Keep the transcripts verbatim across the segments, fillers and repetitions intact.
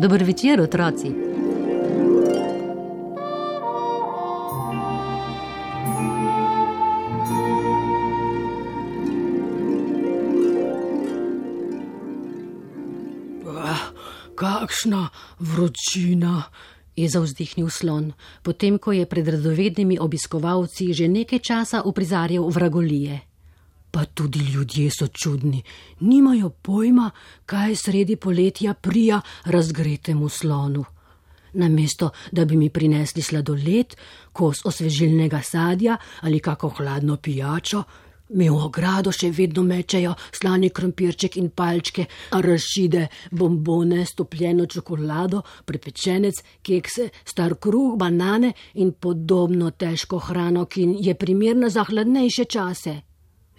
Dober večer, otroci. Kakšna vročina, je zavzdihnil slon, potem ko je pred radovednimi obiskovalci že nekaj časa uprizarjal vragolije. Pa tudi ljudje so čudni, nimajo pojma, kaj sredi poletja prija razgretemu slonu. Namesto, da bi mi prinesli sladoled, kos osvežilnega sadja ali kako hladno pijačo, mi v ogrado še vedno mečejo slani krompirček in palčke, arašide, bombone, stopljeno čokolado, prepečenec, kekse, star kruh, banane in podobno težko hrano, ki je primerna za hladnejše čase.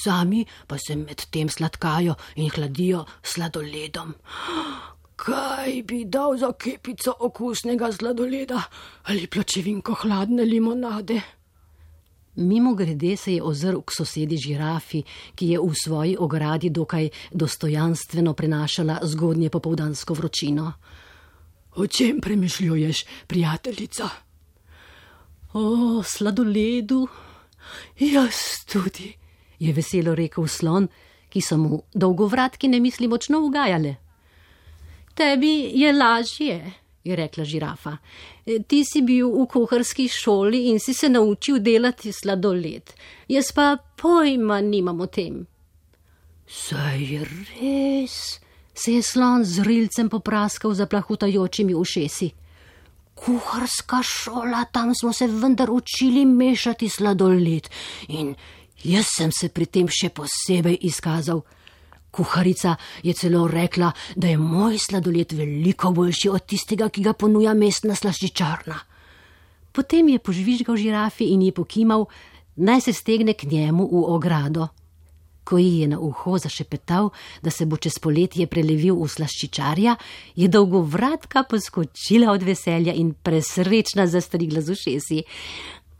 Sami pa se med tem sladkajo in hladijo sladoledom. Kaj bi dal za kepico okusnega sladoleda ali pločevinko hladne limonade? Mimo grede se je ozrl k sosedi žirafi, ki je v svoji ogradi dokaj dostojanstveno prenašala zgodnje popoldansko vročino. O čem premišljuješ, prijateljica? O sladoledu. Jaz tudi, je veselo rekel slon, ki so mu dolgovratki ne misli močno ugajale. Tebi je lažje, je rekla žirafa. Ti si bil v kuharski šoli in si se naučil delati sladoled. Jaz pa pojma nimam o tem. Saj res, se je slon z rilcem popraskal za plahutajočimi ušesi. Kuharska šola, tam smo se vendar učili mešati sladoled in jaz sem se pri tem še posebej izkazal. Kuharica je celo rekla, da je moj sladoled veliko boljši od tistega, ki ga ponuja mestna slaščičarna. Potem je požvižgal žirafi in ji pokimal, naj se stegne k njemu v ogrado. Ko ji je na uho zašepetal, da se bo čez poletje prelevil v slaščičarja, je dolgovratka poskočila od veselja in presrečna zastrigla z ušesi.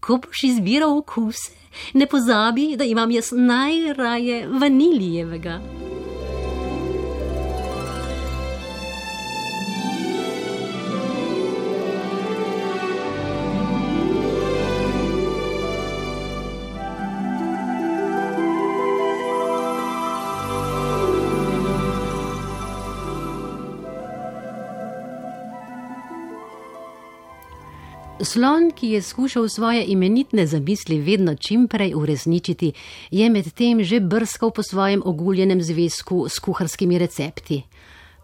Ko boš izbiral okuse, ne pozabi, da imam jaz najraje vanilijevega. Slon, ki je skušal svoje imenitne zamisli vedno čimprej uresničiti, je med tem že brskal po svojem oguljenem zvezku s kuharskimi recepti.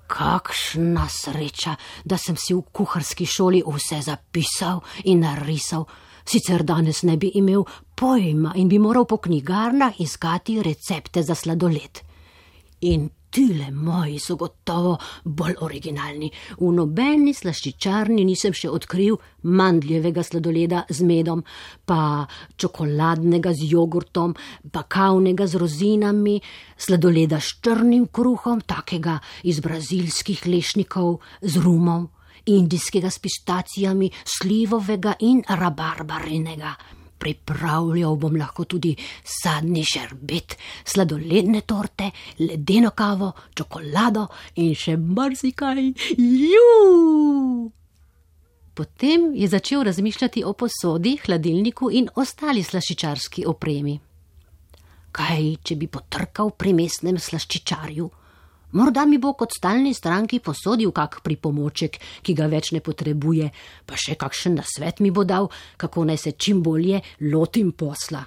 Kakšna sreča, da sem si v kuharski šoli vse zapisal in narisal. Sicer danes ne bi imel pojma in bi moral po knjigarnah iskati recepte za sladoled. In tile moji so gotovo bolj originalni. V nobeni slaščičarni nisem še odkril mandljevega sladoleda z medom, pa čokoladnega z jogurtom, pa kavnega z rozinami, sladoleda s črnim kruhom, takega iz brazilskih lešnikov z rumom, indijskega s pištacijami, slivovega in rabarbarinega. Pripravljal bom lahko tudi sadni šerbet, sladoledne torte, ledeno kavo, čokolado in še marsikaj. Juu! Potem je začel razmišljati o posodi, hladilniku in ostali slaščičarski opremi. Kaj, če bi potrkal pri mestnem slaščičarju? Morda mi bo kot stalni stranki posodil kak pripomoček, ki ga več ne potrebuje, pa še kakšen nasvet mi bo dal, kako naj se čim bolje lotim posla.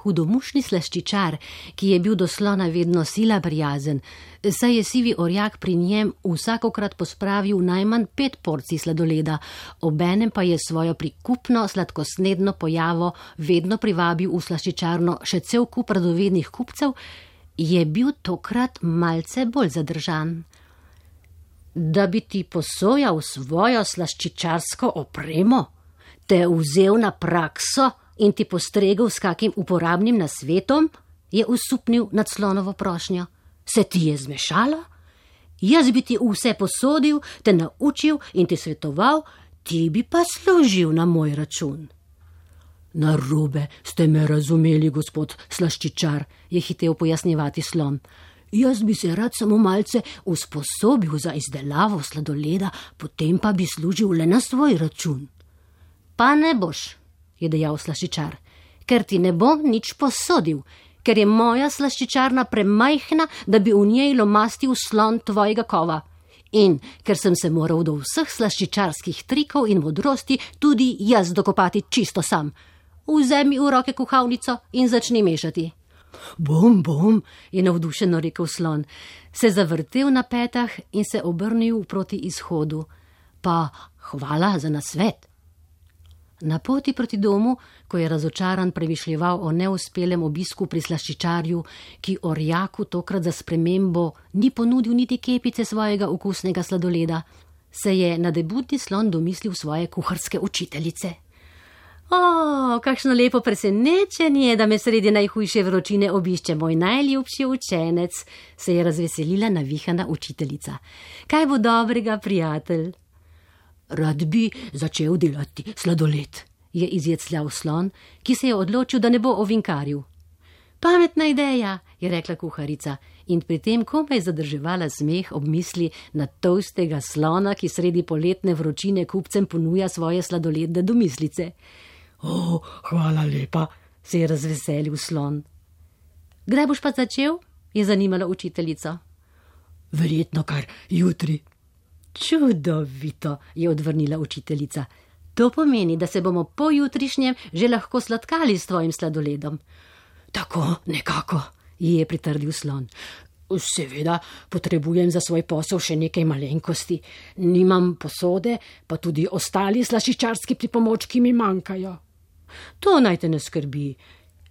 Hudomušni slaščičar, ki je bil do slona vedno sila prijazen, saj je sivi orjak pri njem vsakokrat pospravil najmanj pet porcij sladoleda, obenem pa je svojo prikupno sladkosnedno pojavo vedno privabil v slaščičarno še cel kup radovednih kupcev, je bil tokrat malce bolj zadržan. Da bi ti posojal svojo slaščičarsko opremo, te vzel na prakso in ti postregel s kakim uporabnim nasvetom, je usupnil nad slonovo prošnjo. Se ti je zmešalo? Jaz bi ti vse posodil, te naučil in ti svetoval, ti bi pa služil na moj račun. Narobe ste me razumeli, gospod slaščičar, je hitel pojasnjevati slon. Jaz bi se rad samo malce usposobil za izdelavo sladoleda, potem pa bi služil le na svoj račun. Pa ne boš, je dejal slaščičar, ker ti ne bom nič posodil, ker je moja slaščičarna premajhna, da bi v njej lomastil slon tvojega kova. In ker sem se moral do vseh slaščičarskih trikov in modrosti tudi jaz dokopati čisto sam. Vzemi v roke kuhalnico in začni mešati. Bom, bom, je navdušeno rekel slon, se zavrtel na petah in se obrnil proti izhodu. Pa hvala za nasvet. Na poti proti domu, ko je razočaran premišljeval o neuspelem obisku pri slaščičarju, ki orjaku tokrat za spremembo ni ponudil niti kepice svojega okusnega sladoleda, se je nadebudni slon domislil svoje kuharske učiteljice. O, kakšno lepo presenečenje, da me sredi najhujše vročine obišče moj najljubši učenec, se je razveselila navihana učiteljica. Kaj bo dobrega, prijatelj? Rad bi začel delati sladoled, je izjecljal slon, ki se je odločil, da ne bo ovinkaril. Pametna ideja, je rekla kuharica in pri tem komaj zadrževala smeh ob misli na tolstega slona, ki sredi poletne vročine kupcem ponuja svoje sladoledne domislice. O, hvala lepa, se je razveselil slon. Kdaj boš pa začel? Je zanimala učiteljica. Verjetno kar jutri. Čudovito, je odvrnila učiteljica. To pomeni, da se bomo po jutrišnjem že lahko sladkali s tvojim sladoledom. Tako nekako, ji je pritrdil slon. Seveda potrebujem za svoj posel še nekaj malenkosti. Nimam posode, pa tudi ostali slaščičarski pripomočki mi manjkajo. To naj te ne skrbi.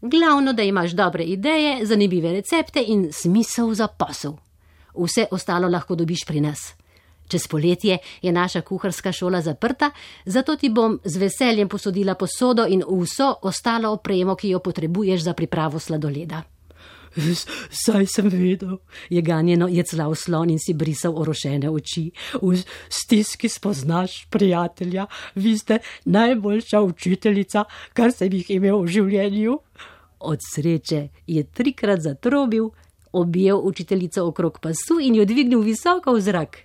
Glavno, da imaš dobre ideje, zanimive recepte in smisel za posel. Vse ostalo lahko dobiš pri nas. Čez poletje je naša kuharska šola zaprta, zato ti bom z veseljem posodila posodo in vso ostalo opremo, ki jo potrebuješ za pripravo sladoleda. Saj sem vedel, je ganjeno jeclal slon in si brisal orošene oči. V stiski spoznaš prijatelja, vi ste najboljša učiteljica, kar sem jih imel v življenju. Od sreče je trikrat zatrobil, objel učiteljico okrog pasu in jo dvignil visoko v zrak.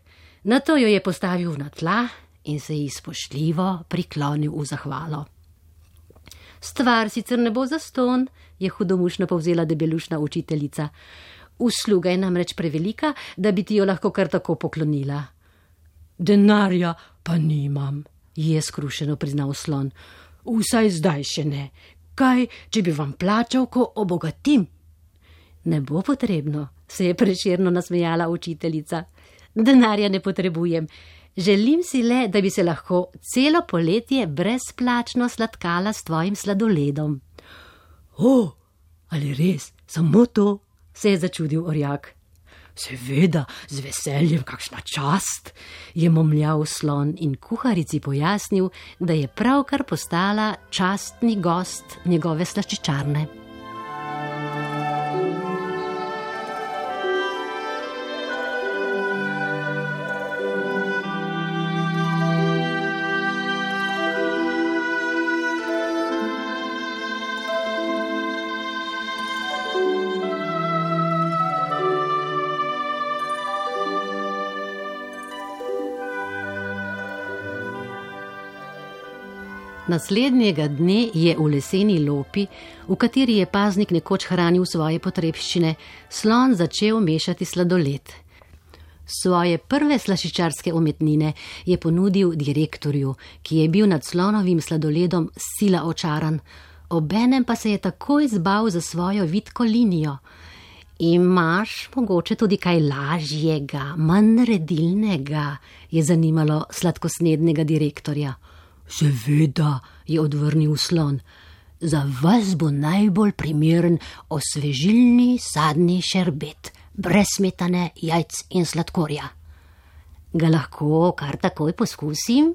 Nato jo je postavil na tla in se ji spoštljivo priklonil v zahvalo. Stvar sicer ne bo zastonj, je hudomušno povzela debelušna učiteljica. Usluga je namreč prevelika, da bi ti jo lahko kar tako poklonila. Denarja pa nimam, je skrušeno priznal slon. Vsaj zdaj še ne. Kaj, če bi vam plačal, ko obogatim? Ne bo potrebno, se je prešerno nasmejala učiteljica. Denarja ne potrebujem. Želim si le, da bi se lahko celo poletje brezplačno sladkala s tvojim sladoledom. O, ali res, samo to, se je začudil orjak. Seveda, z veseljem, kakšna čast, je momljal slon in kuharici pojasnil, da je pravkar postala častni gost njegove slaščičarne. Naslednjega dne je v leseni lopi, v kateri je paznik nekoč hranil svoje potrebščine, slon začel mešati sladoled. Svoje prve slaščičarske umetnine je ponudil direktorju, ki je bil nad slonovim sladoledom sila očaran, obenem pa se je takoj zbal za svojo vitko linijo. Imaš mogoče tudi kaj lažjega, manj redilnega, je zanimalo sladkosnednega direktorja. Seveda, je odvrnil slon, za vas bo najbolj primeren osvežilni sadni šerbet, brez smetane, jajc in sladkorja. Ga lahko kar takoj poskusim?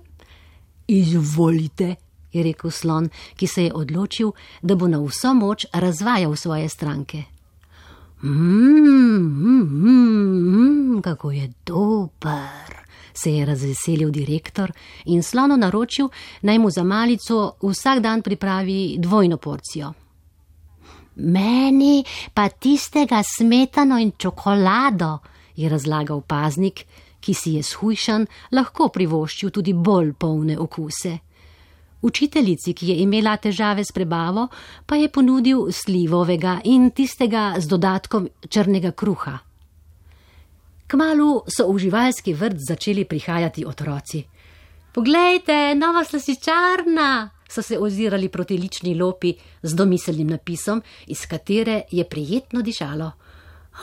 Izvolite, je rekel slon, ki se je odločil, da bo na vso moč razvajal svoje stranke. Mmm, mm, mm, kako je dober, se je razveselil direktor in slonu naročil, naj mu za malico vsak dan pripravi dvojno porcijo. Meni pa tistega smetano in čokolado, je razlagal paznik, ki si je shujšan lahko privoščil tudi bolj polne okuse. Učiteljici, ki je imela težave s prebavo, pa je ponudil slivovega in tistega z dodatkom črnega kruha. Kmalu so v živalski vrt začeli prihajati otroci. Poglejte, nova slastičarna, so se ozirali proti lični lopi z domiselnim napisom, iz katere je prijetno dišalo.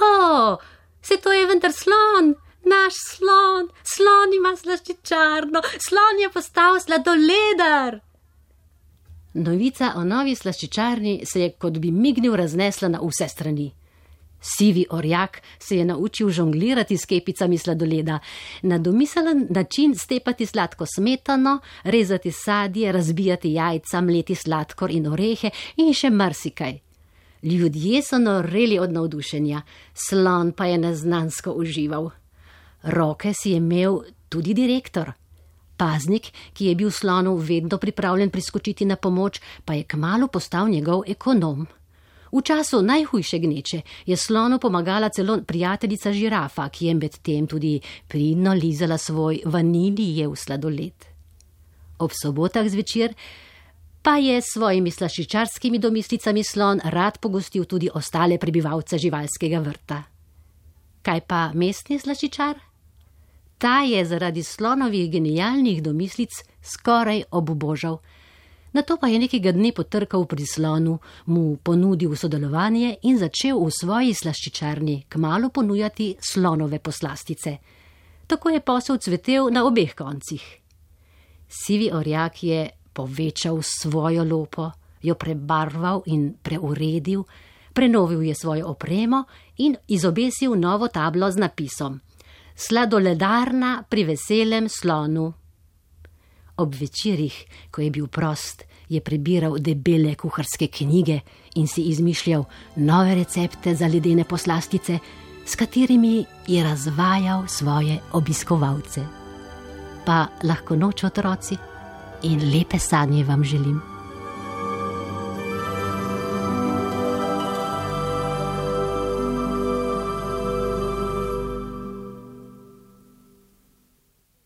O, se to je vendar slon, naš slon, slon ima slaščičarno, slon je postal sladoledar. Novica o novi slaščičarni se je kot bi mignil raznesla na vse strani. Sivi orjak se je naučil žonglirati s kepicami sladoleda, na domiselen način stepati sladko smetano, rezati sadje, razbijati jajca, mleti sladkor in orehe in še marsikaj. Ljudje so noreli od navdušenja, slon pa je neznansko užival. Roke si je imel tudi direktor. Paznik, ki je bil slonu vedno pripravljen priskočiti na pomoč, pa je kmalu postal njegov ekonom. V času najhujše gneče je slonu pomagala celo prijateljica žirafa, ki je med tem tudi pridno lizala svoj vanilijev sladoled. Ob sobotah zvečer pa je s svojimi slaščičarskimi domislicami slon rad pogostil tudi ostale prebivalce živalskega vrta. Kaj pa mestni slaščičar? Ta je zaradi slonovih genialnih domislic skoraj obubožal. Nato pa je nekega dne potrkal pri slonu, mu ponudil sodelovanje in začel v svoji slaščičarni kmalu ponujati slonove poslastice. Tako je posel cvetel na obeh koncih. Sivi orjak je povečal svojo lopo, jo prebarval in preuredil, prenovil je svojo opremo in izobesil novo tablo z napisom: Sladoledarna pri veselem slonu. Ob večerih, ko je bil prost, je prebiral debele kuharske knjige in si izmišljal nove recepte za ledene poslastice, s katerimi je razvajal svoje obiskovalce. Pa lahko noč, otroci, in lepe sanje vam želim.